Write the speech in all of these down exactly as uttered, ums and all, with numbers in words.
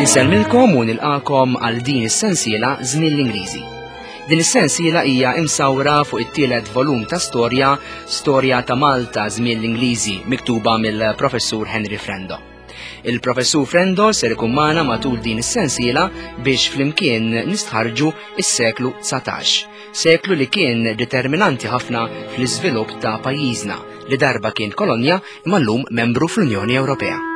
Insellmilkom u nilqakom għal din is-sensiela Żmien l-Ingliżi. Din is-sensiela hija imsawra fuq it-tielet volum ta' storja, Storja ta' Malta Żmien l-Ingliżi, miktuba mill-Professur Henry Frendo. Il-Professur Frendo ser ikun magħna matul din is-sensiela biex flimkien nistħarġu is-seklu dsatax, seklu li kien determinanti ħafna fl-iżvilupp ta' pajjiżna li darba kien kolonja imma llum membru fl-Unjoni Ewropea.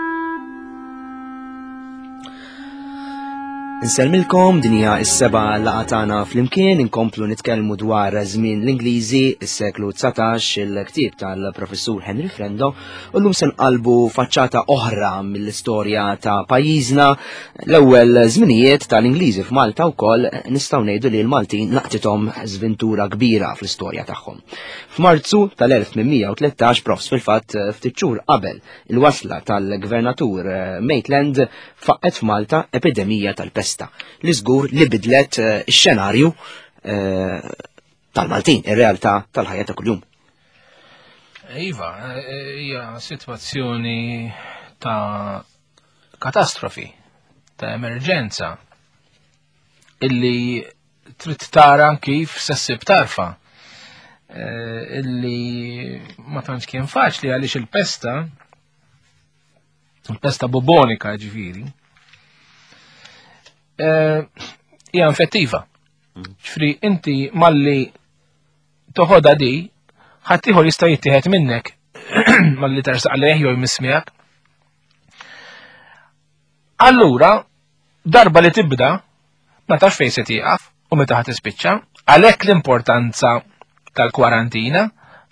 Insellmilkom, din hija s-seba' laqgħa tagħna flimkien, inkomplu nitkellmu dwar żmien l-Ingliżi, is-seklu dsatax, il-ktieb tal-Professur Henry Frendo, u llum se nqalbu faċċata oħra mill-istorja ta' pajjiżna, l-ewwel żminijiet tal-Ingliżi f'Malta wkoll nistgħu ngħidu li l-Maltin laqtithom żventura kbira fl-istorja tagħhom. F'Marzu tal-elf tmien mija u tlettax, profs fil-fatt ftit xhur qabel il-wasla tal-Gvernatur Maitland, faqqet f'Malta epidemija tal-pesta li żgur li bidlet, eh, ix-xenarju, eh, tal-Maltin, ir-realtà tal-ħajja ta' kuljum. Iva, eh, hija sitwazzjoni ta' katastrofi, ta' emerġenza, illi trid tara kif se ssib tarfa. Eh, illi ma tantx kien faċli għaliex il-pesta, il-pesta bubonika ġifieri, eh, hija infettiva. Ġifieri inti malli toħodha di, ħaddieħor jista' jittieħed minnek malli tersaq lejh jew jmiss miegħek. Allura, darba li tibda, ma tafx fejn se tieqaf u meta ħa tispiċċa, għalhekk l-importanza tal-kwarantina,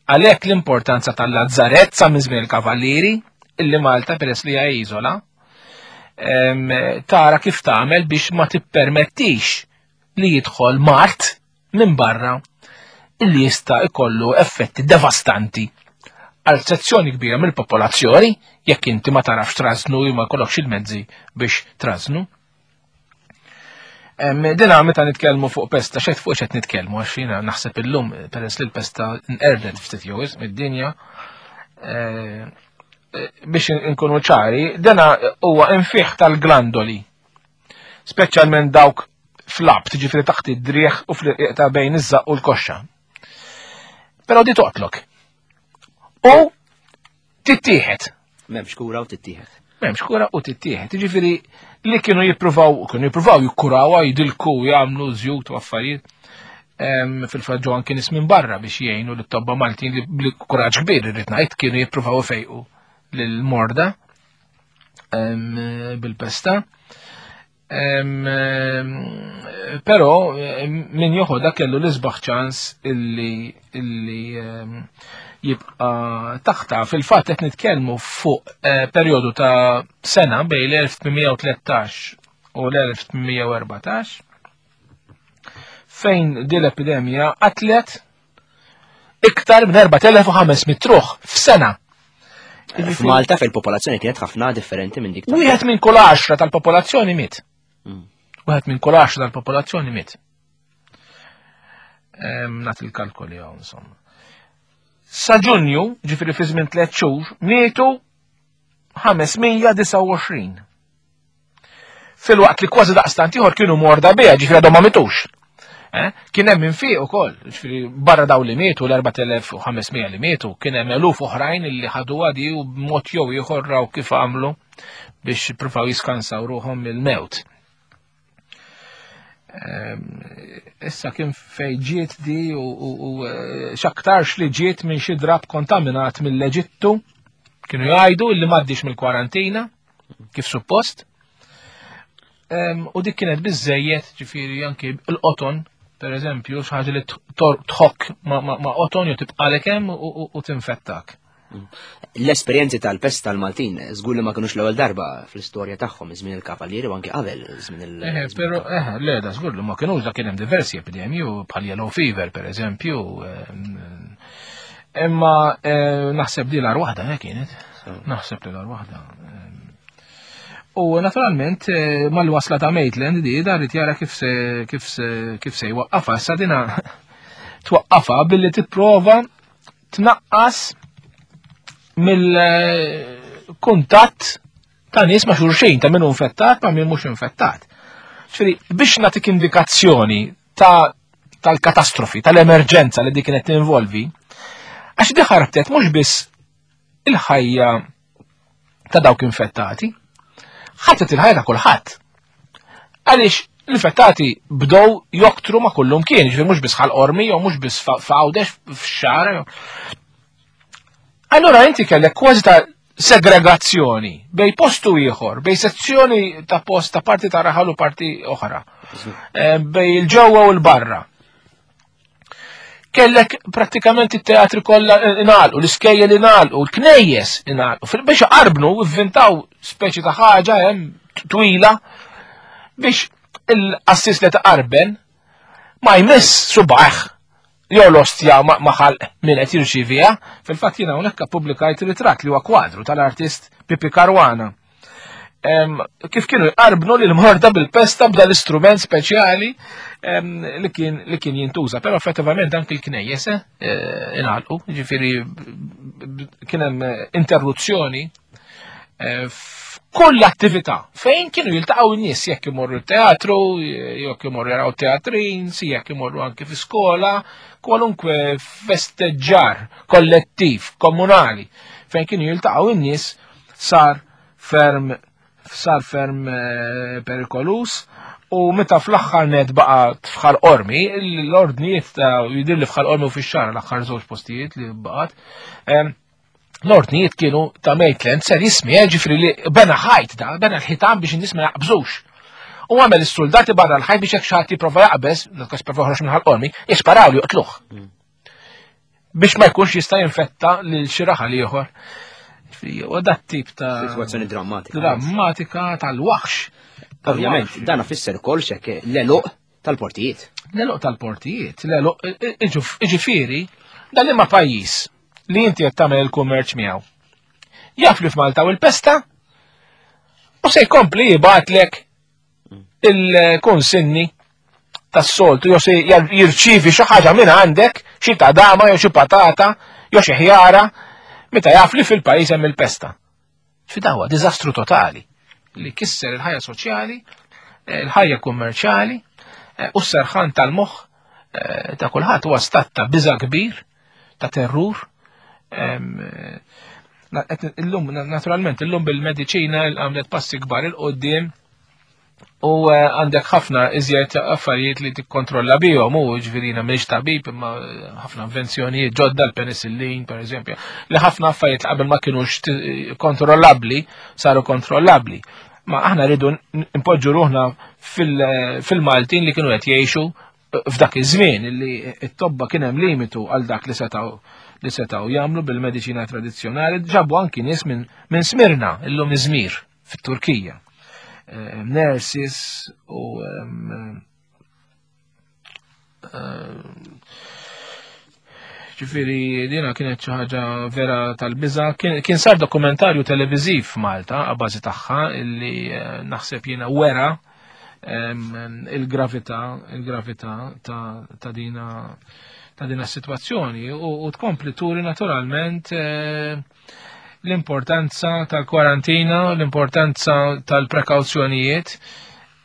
għalhekk l-importanza tal-lazzarett sa minn żmien il-Kavallieri, illi Malta peress li hija iżola, em, tara kif tagħmel biex ma tippermettix li jidħol mard minn barra illi jista' ikollu effetti devastanti għal sezzjoni kbira mill-popolazzjoni jekk inti ma tarafx trażnu jew ma jkollokx il-mezzi biex trażnu. Em, dina meta nitkellmu fuq pesta, xed fuq xed nitkellmu, għax jiena naħseb illum peress li l-pesta nqerdet ftit jew wisq mid-dinja, eh, eh, biex inkunu ċari, dina huwa infiħ tal-glandoli, speċjalment dawk fl-abt, ġifieri taħt id-driegħ u fl-irqiq ta' bejn iż-żaqq u l-koxxa. Però di toqtlok. U tittieħed. M'hemmx kura u tittieħed. M'hemmx kura u tittieħed. Jiġifieri li kienu jippruvaw, kienu jippruvaw jikkurawha, jidilku, jagħmlu żjut u affarijiet. Em, fil-fatt ġew anke nies minn barra biex jgħinu lit-tobba Maltin li bli kuraġġ kbir irrid ngħid kienu jippruvaw ifejqu lill-morda, em, bil-pesta. Em, em, però, em, min joħodha kellu l-isbaħ ċans illi, illi, em, jibqa' taħta. Fil-fatt qed nitkellmu fuq, eh, perjodu ta' sena bejn l-elf tmien mija u tlettax u l-elf tmien mija u erbatax fejn din l-epidemija qatlet iktar minn erbat elef u ħames mitt ruħ f'sena. F'Malta fejn il-popolazzjoni kienet ħafna differenti minn dik ta' Wieħed minn kull għaxra tal-popolazzjoni miet. Mm. Wieħed minn kull għaxra tal-popolazzjoni miet. Em, nagħti il-kalkoli hawn, insomma. Sa Ġunju, ġifieri fi żmien tliet xhur, mietu ħames mija disgħa u għoxrin. Filwaqt li kważi daqstant ieħor kienu morda biha, ġifieri għadhom ma mitux. Eh? Kien hemm infiq ukoll, ġifieri barra daw li mietu, l-erbat elef u ħames mija li mietu, kien hemm eluf oħrajn li ħadu għadi u b'mod jew ieħor raw kif għamlu biex jippruvaw jiskansaw ruħhom mill-mewt. Ehm, issa kien fej ġiet di u, u, u, eh, x'aktarx li ġiet minn xi drab kontaminat mill-Eġittu, kienu jgħidu li m'għaddix mill-kwarantina, kif suppost. Ehm, u dik kienet biżejjed, ġifieri anki l-qoton, per eżempju, xi ħaġa li t-, tħokk ma, ma, ma' qoton jew tibqalek hemm u, u, u tinfettak. L-esperjenzi tal-pesta tal-Maltin żgur li ma kinux l-ewwel darba fl-istorja tagħhom żmien il-Kavallieri u anke qabel żmien il- Eh, żmien però, il-Kavallieri. eh, le, da żgur li ma kinux, da kien hemm diversi epidemji, bħal yellow fever per eżempju. Ehm, imma, eh, naħseb di l-ar waħda, eh, kienet. Naħseb li l-ar waħda. Ehm, u naturalment, eh, mal-wasla ta' Maitland di dar jara kif se, kif se, kif se jwaqqafha. Issa dina twaqqafha billi tipprova tnaqqas mill kuntatt ta' nies ma' xulxin, ta' min hu infettat ma' min mhux infettat. Ġifieri biex nagħtik indikazzjoni ta' tal-katastrofi, tal-emerġenza li dik kienet tinvolvi, għax di ħarbtet mhux biss il-ħajja ta' dawk infettati, ħatet il-ħajja ta' kulħadd. Għaliex l-infettati bdew joktru ma' kullum kien, ġifieri mhux biss Ħal Qormi jew mhux biss f'Għawdex f'Xagħra. Allura inti kellek kważi ta' segregazzjoni bej postu ieħor, bej sezzjoni ta' post ta' parti ta' raħal u parti oħra, eh, bej il-ġewwa u l-barra. Kellek prattikament it-teatri kollha ingħalqu, l-iskejjel ingħalqu, l-knejjes ingħalqu. Biex qarbnu ivvintaw speċi ta' ħaġa hemm twila biex il-qassis li taqarben ma jmiss subaħ jew l-ostja ma ħalq min qed jirċiviha. Fil-fatt jiena hawnhekk ippubblikajt ritratt li huwa kwadru tal-artist Pipi Caruana. Kif kienu jqarbnu lil morda bil-pesta b'da l-istrument speċjali li kien li kien jintuża, però effettivament anke l-knejjes eh, ingħalqu, jiġifieri kien hemm interruzzjoni eh, f'kull attività fejn kienu jiltaqgħu n-nies, jekk imorru teatru, jekk imorru jaraw teatrin, si jekk imorru anke fi skola, kwalunkwe festeġġar kollettiv, komunali, fejn kienu jiltaqgħu n-nies sar ferm sar ferm eh, perikolus. U meta fl-aħħar net baqgħet f'Ħal Qormi, l-ordnijiet ta' jidir li f'Ħal Qormi u fix-Xagħra l-aħħar żewġ postijiet li baqgħet, l-ordnijiet kienu ta' Maitland ser jismi, ġifri li bena ħajt da, bena l-ħitan biex in-nies ma jaqbżux. U għamel is-soldati barra l-ħajt biex jekk xi ħadd jipprova jaqbeż, dak jipprova joħroġ minn Ħal Qormi, jisparaw li joqtluh. Biex ma jkunx jista' jinfetta lil xi raħal ieħor. U dat tip ta' Situazzjoni drammatika. Drammatika tal-waħx. Ovvjament, dan ifisser ukoll xek l-eluq tal-portijiet. L-eluq tal-portijiet, l-eluq, iġifieri, dan imma pajjiż li inti qed tagħmel il-kummerċ miegħu. Jaf li f'Malta u l-pesta u se jkompli jibgħatlek il-konsinni tas-soltu, jew se jirċievi xi ħaġa minn għandek, xi tadama jew xi patata jew xi ħjara, meta jaf li fil-pajjiż hemm il-pesta. Fidawa diżastru totali li kisser il-ħajja soċjali, il-ħajja kummerċjali u s-serħan tal-moħħ ta' kulħadd huwa stat ta' biża' kbir, ta' terrur. Illum, naturalment, illum bil-mediċina għamlet passi kbar il-qoddim u għandek ħafna iżjed affarijiet li tikkontrolla bihom, u ġifieri jiena m'iniex tabib, imma ħafna invenzjonijiet ġodda, l-penicillin per eżempju, li ħafna affarijiet li qabel ma kienux kontrollabbli saru kontrollabbli. Ma aħna rridu npoġġu ruħna fil-Maltin li kienu qed jgħixu f'dak iż-żmien li t-tobba kien hemm limitu għal dak li setgħu li setgħu jagħmlu bil-mediċina tradizzjonali. Ġabu anki nies minn min Smirna, illum Izmir fit-Turkija. Nurses u ġifieri dina kienet xi ħaġa vera tal-biża'. Kien sar dokumentarju televiżiv f'Malta għal bażi tagħha illi naħseb jiena wera il-gravità il-gravità ta' dina ta' dina s-sitwazzjoni u tkompli turi naturalment l-importanza tal-kwarantina, l-importanza tal-prekawzjonijiet,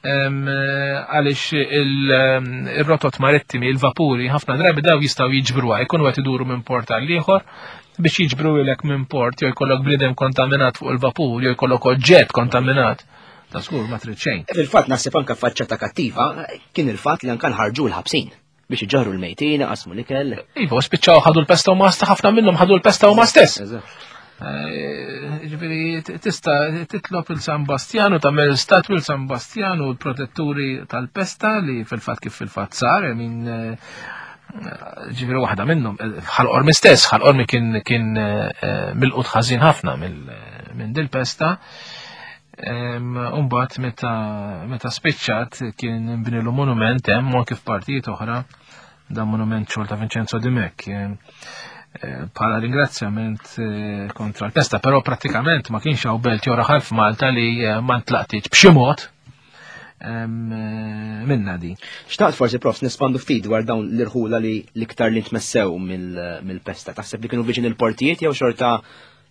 għaliex il-rotot marittimi, il-vapuri, ħafna drabi daw jistgħu jiġbruha, jkunu qed iduru minn port għal ieħor biex jiġbru ilek minn port, jew jkollok bniedem kontaminat fuq il-vapur, jew jkollok oġġett kontaminat. Ta' skur ma trid xejn. Fil-fatt naħseb anke faċċata kattiva kien il-fatt li anke nħarġu l-ħabsin biex iġarru l-mejtin, qasmu l-ikel. Iva, spiċċaw ħadu l-pesta huma ħafna minnhom ħadu l-pesta huma stess. Ġifieri tista' titlob il-San Bastjanu, tagħmel statwi l-San Bastjanu l-protetturi tal-pesta li fil-fatt kif fil-fatt sar, min ġifieri waħda minnhom Ħal Qormi stess, Ħal Qormi kien kien milqut ħażin ħafna minn dil-pesta. Umbagħad meta meta spiċċat kien inbnilu monument hemm u anke f'partijiet oħra, dan monument xogħol ta' Vincenzo Dimech bħala ringrazzjament kontra l-pesta, però prattikament ma kienx hawn belt jew raħal f'Malta li ma ntlaqtitx b'xi mod minna di. Xtaqt forsi prof nispandu ftit dwar dawn l-irħula li l-iktar li ntmessew mill-pesta. Taħseb li kienu viċin il-portijiet jew xorta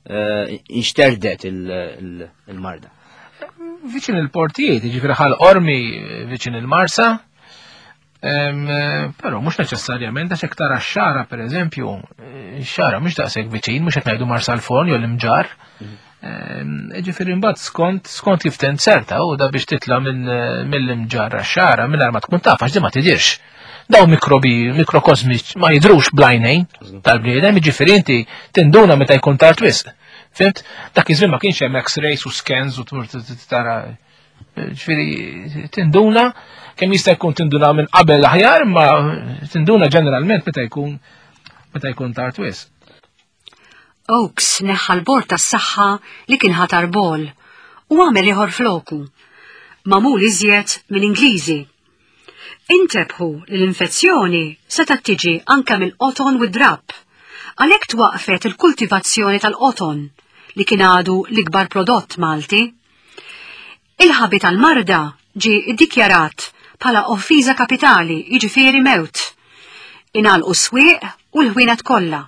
inxterdet il-marda? Viċin il-portijiet, ġifieri Ħal Qormi viċin il-Marsa, però mhux neċessarjament għax hekk tara x-Xagħra pereżempju, x-Xagħra mhux daqshekk viċin, mhux qed ngħidu Marsalforn jew l-Imġarr. Ġifieri mbagħad skont skont kif tinzerta u da biex titla' mill-Imġarr għax-Xagħra mingħajr ma tkun taf għax di ma tidirx. Daw mikrobi, mikrokosmiċ ma jidrux bl-għajnejn tal-bniedem, ġifieri inti tinduna meta jkun tard wisq. Fhimt? Dak iż-żmien ma kienx hemm X-rays u scans u tmur tara. Ġifieri tinduna kemm jista' jkun tinduna minn qabel aħjar, ma tinduna ġeneralment meta jkun meta jkun tard wisq. Oakes neħħa l-bord tas-saħħa li kien ħatar Ball u għamel ieħor floku, magħmul iżjed minn Ingliżi. Intebħu li l-infezzjoni setgħet tiġi anke mill-qoton u d-drapp, għalhekk twaqfet il-kultivazzjoni tal-qoton li kien għadu l-ikbar prodott Malti. Il-ħabi tal-marda ġie iddikjarat bħala offiża kapitali, jiġifieri mewt. Ingħalqu s-swieq u l-ħwienet kollha.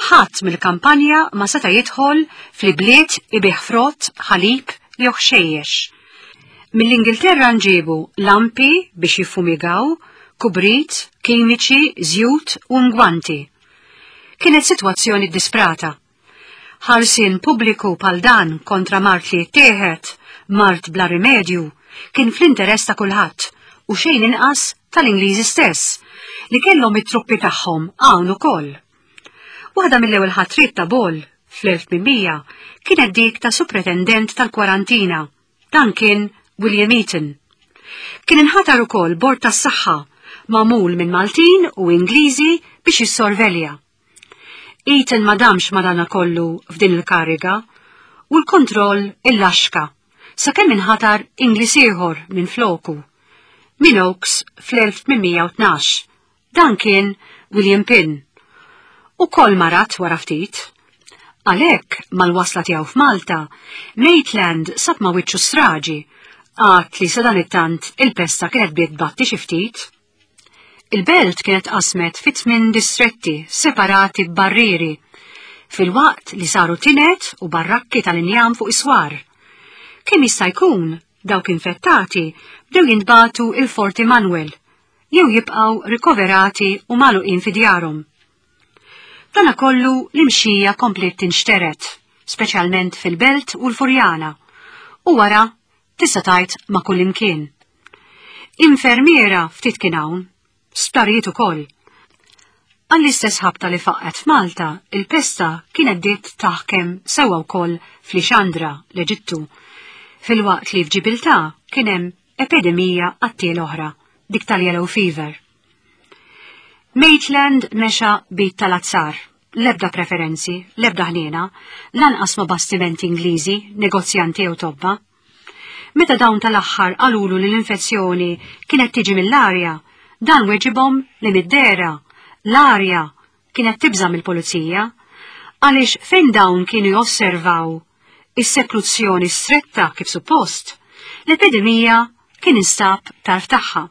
Ħadd mill-kampanja ma seta' jidħol fl-ibliet ibih frott, ħalib jew ħxejjex. Mill-Ingilterra nġiebu lampi biex jiffumigaw, kubrit, kimiċi, żjut u ngwanti. Kienet sitwazzjoni disprata. Ħarsien pubbliku bħal dan kontra mard li jittieħed, mard bla rimedju, kien fl-interess ta' kulħadd u xejn inqas tal-Ingliżi stess, li kellhom it-truppi tagħhom hawn ukoll. Waħda mill-ewwel ħatriet ta' Ball fl-elf tmien mija kienet dik ta' supretendent tal-kwarantina. Dan kien William Eaton. Kien inħatar ukoll bord tas-saħħa magħmul minn Maltin u Ingliżi biex jissorvelja. Eaton ma damx madanakollu f'din il-kariga u l-kontroll illaxka sakemm inħatar Ingliż ieħor minn floku. Minn Oakes fl-elf tmien mija u tnax. Dan kien William Pinn. Ukoll marad wara ftit. Għalhekk mal-wasla tiegħu f'Malta, Maitland sab ma' wiċċu straġi, għad li sadanittant il-pesta kienet bdiet tbatti xi ftit. Il-belt kienet qasmet fi tmien distretti separati b'barrieri, filwaqt li saru tinet u barrakki tal-injam fuq iswar. Kemm jista' jkun dawk infettati bdew jintbagħtu il-Forti Manuel, jew jibqgħu rikoverati u magħluqin fi djarhom. Dana kollu l-imxija kompliet tinxtered, speċjalment fil-Belt u l-Furjana, u wara tista' tgħid ma' kull imkien. Infermiera ftit kien hawn, sptarijiet ukoll. Għall-istess ħabta li faqqet f'Malta, il-pesta kienet bdiet taħkem sewwa wkoll f'Lixandra, l-Eġittu, filwaqt li f'Ġibiltà kien hemm epidemija qattiela oħra, dik tal-yellow fever. Maitland mexa b'id tal-azzar, lebda preferenzi, lebda ħniena, lanqas ma' bastimenti Ingliżi, negozjanti jew tobba. Meta dawn tal-aħħar qalulu li l-infezzjoni kienet tiġi mill-arja, dan weġibhom li mid-dehra l-arja kienet tibża' mill-pulizija, għaliex fejn dawn kienu josservaw is-sekluzzjoni stretta kif suppost, l-epidemija kien instab tarf tagħha.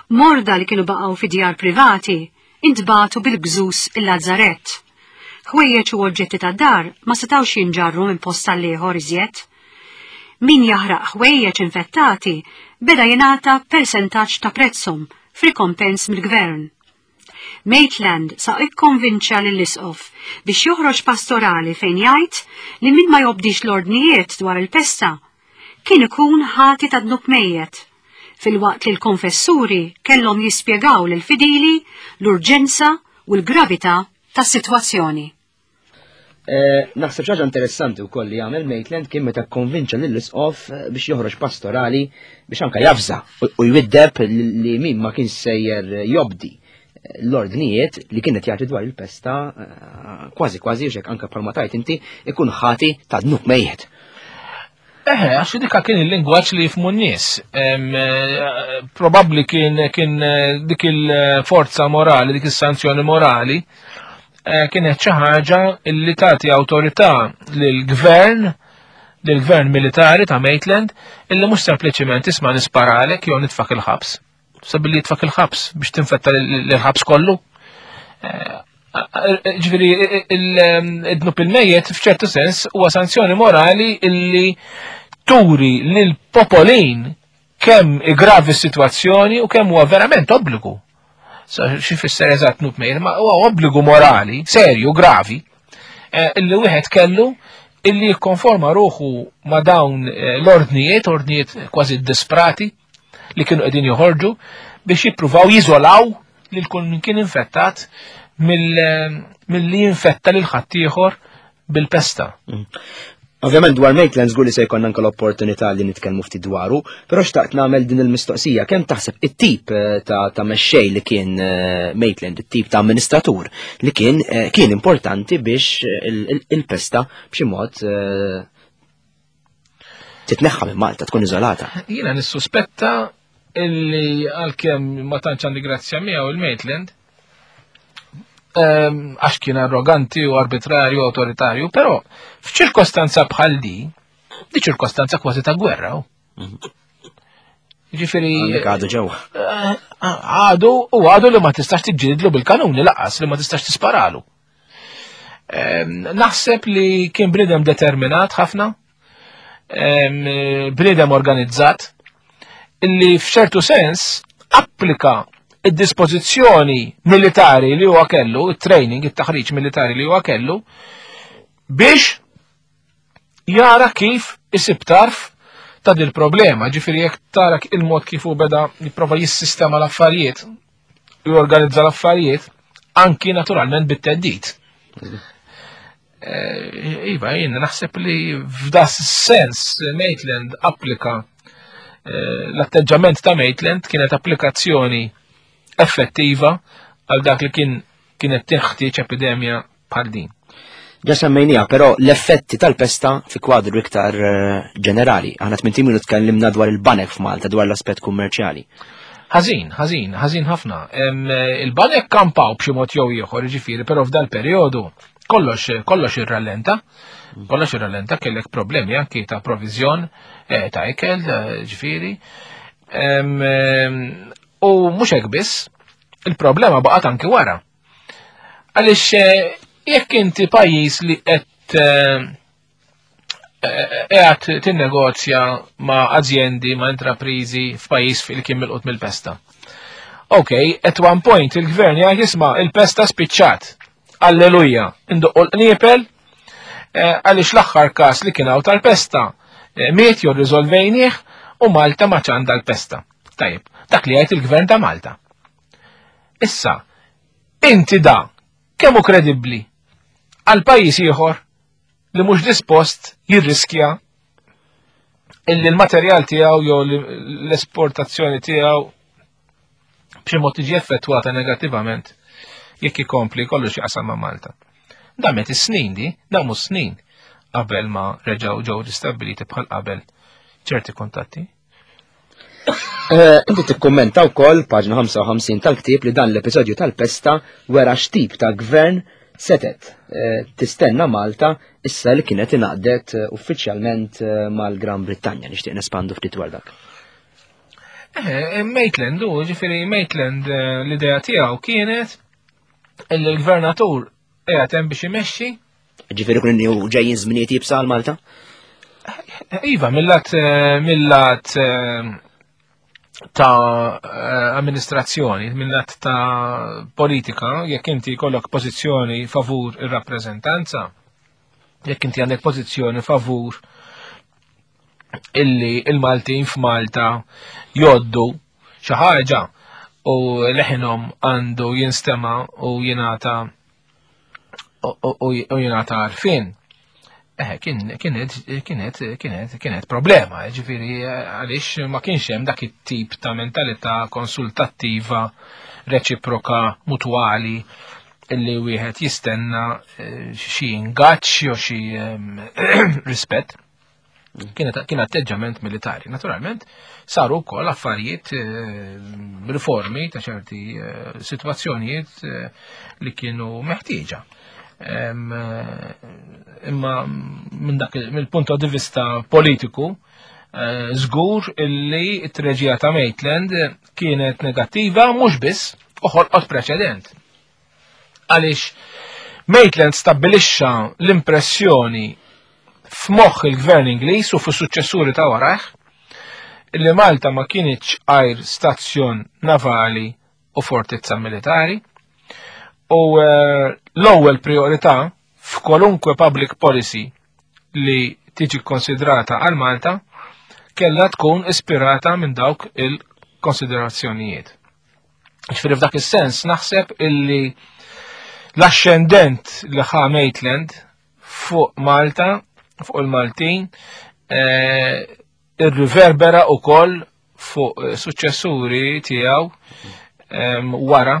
Morda li kienu baqgħu fi djar privati intbagħtu bil-gżus il-lazzarett. Ħwejjeġ u oġġetti tad-dar ma setgħux jinġarru minn post għal iżjed. Min jaħraq ħwejjeġ infettati beda jingħata persentaġġ ta' prezzhom f'rikompens mill-gvern. Maitland sa ikkonvinċa lill-isqof biex joħroġ pastorali fejn jgħid li min ma jobdix l-ordnijiet dwar il-pesta kien ikun ħati ta' dnub mejjet, filwaqt li l-konfessuri kellhom jispjegaw lil fidili l-urġenza u l-gravità tas-sitwazzjoni. Eh, naħseb ħaġa interessanti wkoll li għamel Maitland kien meta konvinċa lill-isqof eh, biex joħroġ pastorali biex anka javża u jwiddeb li min ma kien sejjer jobdi eh, l-ordnijiet li kienet jagħti dwar il-pesta, kważi kważi xek anka bħalma tajt inti ikun ħati ta' dnub mejjet. Eħe, għax dika kien il-lingwaġġ li jifhmu n-nies. Probabbli kien kien dik il-forza morali, dik is-sanzjoni morali, kienet xi ħaġa li tagħti awtorità lill-gvern, lill-gvern militari ta' Maitland, illi mhux sempliċiment isma' nisparalek jew nitfak il-ħabs. Sabilli jitfak il-ħabs biex tinfetta l-ħabs kollu. Ġifieri id-dnub il-mejjet f'ċertu sens huwa sanzjoni morali illi turi lil popolin kemm igravi s-sitwazzjoni u kemm huwa verament obbligu. Xi fisser eżatt dnub mejjet, ma huwa obbligu morali, serju, gravi, illi wieħed kellu illi jikkonforma ruħu ma' dawn l-ordnijiet, ordnijiet kważi disprati li kienu qegħdin joħorġu biex jippruvaw jiżolaw lil kull min kien infettat mill-li jinfetta lil ħaddieħor bil-pesta. Ovvjament dwar Maitland żgur li se jkollna anke l-opportunità li nitkellmu ftit dwaru, però xtaqt nagħmel din il-mistoqsija, kemm taħseb it-tip ta' ta' mexxej li kien Maitland, it-tip ta' amministratur li kien kien importanti biex il-pesta b'xi mod titneħħa minn Malta, tkun iżolata. Jiena nissuspetta illi għalkemm ma tantx għandi grazzja miegħu il-Maitland, għax kien arroganti u arbitrarju u autoritarju, però f'ċirkostanza bħal di, di ċirkostanza kważi ta' gwerra. Ġifieri għadu ġewwa. Għadu u għadu li ma tistax tiġġielidlu bil-kanuni laqas li ma tistax tisparalu. Naħseb li kien bniedem determinat ħafna, bniedem organizzat, illi f'ċertu sens applika id-dispożizzjoni militari li huwa kellu, it-training, it-taħriġ militari li huwa kellu, biex jara kif isib tarf ta' dil problema. Ġifieri jekk tara il-mod kif hu beda jipprova jissistema l-affarijiet, jorganizza l-affarijiet, anki naturalment bit-teddid. Iva, jien naħseb li f'da sens Maitland applika l-atteġġament ta' Maitland kienet applikazzjoni effettiva għal dak li kien kienet teħtieġ epidemja bħal din. Ġa semmejniha, però l-effetti tal-pesta fi kwadru iktar ġenerali. Aħna tmien ilu tkellimna dwar il-banek f'Malta, dwar l-aspett kummerċjali. Ħażin, ħażin, ħażin ħafna. Il-banek kampaw b'xi mod jew ieħor, jiġifieri, però f'dal perjodu kollox kollox irrallenta, kollox irrallenta, kellek problemi anki ta' provizjon ta' ikel, ġifieri. U mhux hekk biss, il-problema baqgħet anki wara. Għaliex jekk inti pajjiż li qed qiegħed tinnegozja ma' azjendi, ma' intraprizi f'pajjiż li kien milqut mill-pesta. Ok, at one point il-gvern jgħid isma' il-pesta spiċċat. Alleluja, indoqqu l-qniepel għaliex l-aħħar każ li kien hawn tal-pesta miet jew riżolvejnieh u Malta ma għandha l-pesta. Tajjeb, dak li jgħid il-gvern ta' Malta. Issa, inti da, kemm hu kredibbli għal pajjiż ieħor li mhux dispost jirriskja illi l-materjal tiegħu jew l-esportazzjoni tiegħu b'xi mod tiġi effettwata negattivament jekk ikompli kollu xi qasam ma' Malta. Damet is-snin di, damu snin qabel ma reġgħu ġew ristabbiliti bħal qabel ċerti kuntatti. Inti tikkummenta wkoll paġna ħamsa u ħamsin tal-ktieb li dan l-episodju tal-pesta wera x'tip ta' gvern setet tistenna Malta issa li kienet ingħaqdet uffiċjalment mal-Gran Brittanja. Nixtieq nespandu ftit dwar dak. Eh, Maitland, u ġifieri Maitland l-idea tiegħu kienet illi l-gvernatur qiegħed hemm biex imexxi. Ġifieri kun ġejjin żminijiet jibsa għal Malta? Iva, mill-lat mill-lat ta' amministrazzjoni, mill-lat ta' politika, jekk inti jkollok pożizzjoni favur ir-rappreżentanza, jekk inti għandek pożizzjoni favur illi il-Maltin f'Malta joddu xi ħaġa u leħinhom għandu jinstema' u jingħata u jingħata għarfien. Eh, kienet kienet kienet kienet problema, ġifieri għaliex ma kienx hemm dak it-tip ta' mentalità konsultattiva, reċiproka, mutwali illi wieħed jistenna xi ingaġġ jew xi rispett. Kienet kien atteġġament militari. Naturalment saru wkoll affarijiet, riformi ta' ċerti sitwazzjonijiet li kienu meħtieġa. Imma minn dak mill-punt di vista politiku, żgur illi t-treġija ta' Maitland kienet negattiva mhux biss u ħolqot preċedent. Għaliex Maitland stabbilixxa l-impressjoni f'moħħ il-gvern Ingliż u fis-suċċessuri ta' warajh li Malta ma kienitx għajr stazzjon navali u fortizza militari u eh, l-ewwel priorità f'kwalunkwe public policy li tiġi konsidrata għal Malta kellha tkun ispirata minn dawk il-konsiderazzjonijiet. Ġifieri f'dak is-sens naħseb illi l-ascendent li ħa Maitland fuq Malta, fuq il-Maltin, eh, irriverbera ukoll fuq eh, suċċessuri tiegħu em, wara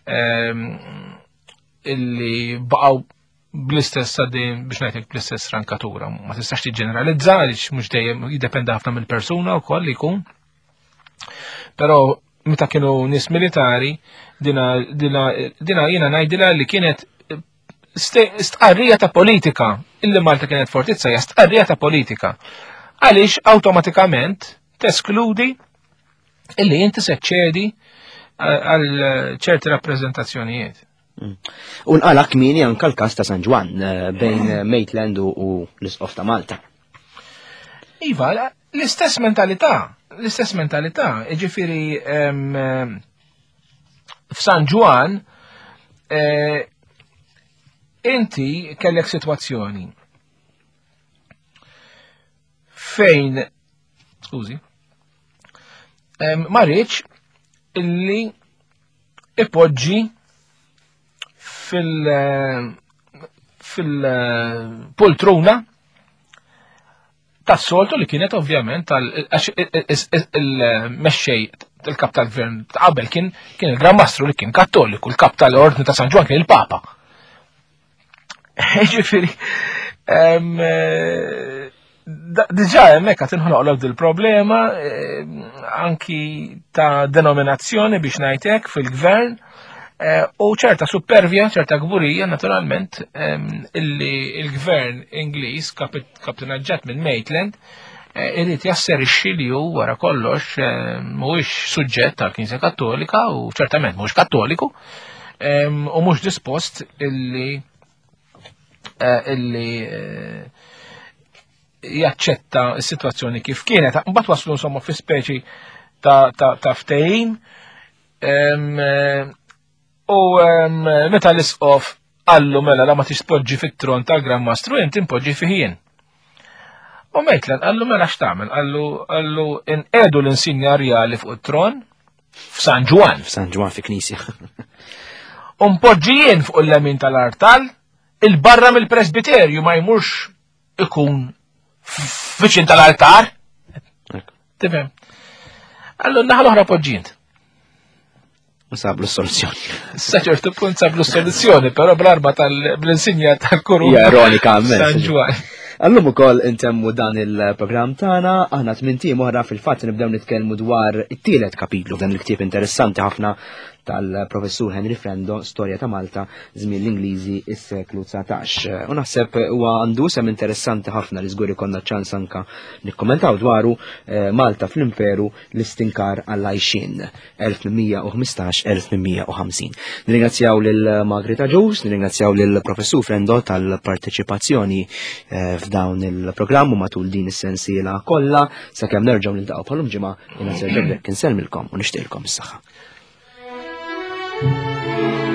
em, illi baqgħu bl-istess għaddejn biex ngħidlek bl-istess rankatura. Ma tistax tiġġeneralizza għaliex mhux dejjem jiddependi ħafna mill-persuna wkoll li jkun. Però meta kienu nies militari, dina dina dina jiena ngħidilha li kienet ste- stqarrija ta' politika illi Malta kienet fortizza hija stqarrija ta' politika. Għaliex awtomatikament teskludi illi inti se ċedi għal ċerti rappreżentazzjonijiet. U nqala kmieni anka l-każ ta' San Ġwann eh, bejn eh, Maitland u u l-Isqof ta' Malta. Iva, la- l-istess mentalità, l-istess mentalità, ġifieri em, em, f'San Ġwann eh, inti kellek situazzjoni fejn, skużi, em, ma riedx illi ipoġġi fil fil-poltruna tas-soltu li kienet ovvjament tal għax il-mexxej il-kap tal-gvern ta' qabel kien kien il-Gran Mastru li kien kattoliku, il-kap tal-Ordni ta' San Ġwann kien il-Papa. Ġifieri, em, eh, da- diġà hemmhekk qed inħoloq il problema anki ta' denominazzjoni biex ngħidlek fil-gvern eh, u ċerta supervja, ċerta kburija naturalment em, illi il-gvern Ingliż kapit- kapitanaġġat minn Maitland eh, irid jasserixxi li hu wara kollox eh, mhuwiex suġġett tal-Knisja Kattolika u ċertament mhuwiex kattoliku em, u mhux dispost illi eh, illi eh, jaċċetta s-sitwazzjoni kif kienet. Mbagħad waslu insomma fi speċi ta' ta' ta' ftehim em, eh, u em, meta l-isqof qallu mela la ma tispoġġi fit-tron tal-Gran Mastru inti impoġġi fih jien. U Maitland qallu mela x'tagħmel? Qallu qallu inqedu l-insinja rjali fuq it-tron f'San Ġwann. F'San Ġwann fi knisja. U npoġġi jien fuq il-lemin tal-artal il-barra mill-presbiterju ma jmurx ikun viċin tal-altar. Tifhem? Qallu naħa l-oħra poġġi int. Sablu soluzzjoni. Sa ċertu punt sablu soluzzjoni, però bl-arba tal-insinja tal-kuruna. Hija ironika immens. San Ġwann. Għallum ukoll intemmu dan il-programm tagħna, aħna tmint ijiem oħra fil-fatt nibdew nitkellmu dwar it-tielet kapitlu f'dan il-ktieb interessanti ħafna tal-professur Henry Frendo, Storja ta' Malta, żmien l-Ingliżi is-seklu dsatax. U naħseb huwa għandu sem interessanti ħafna li żgur ikollna ċans anka nikkommentaw dwaru eh, Malta fl-Imperu l-istinkar għall-għajxien elf tmien mija u ħmistax-elf tmien mija u ħamsin. Nirringrazzjaw lil Margaret Agius, nirringrazzjaw lil professur Frendo tal-parteċipazzjoni eh, f'dawn il-programm u matul din is-sensiela kollha sakemm nerġgħu niltaqgħu bħalum ġimgħa jiena Sergio Grech insellmilkom u nixtieqilkom is-saħħa. Thank you.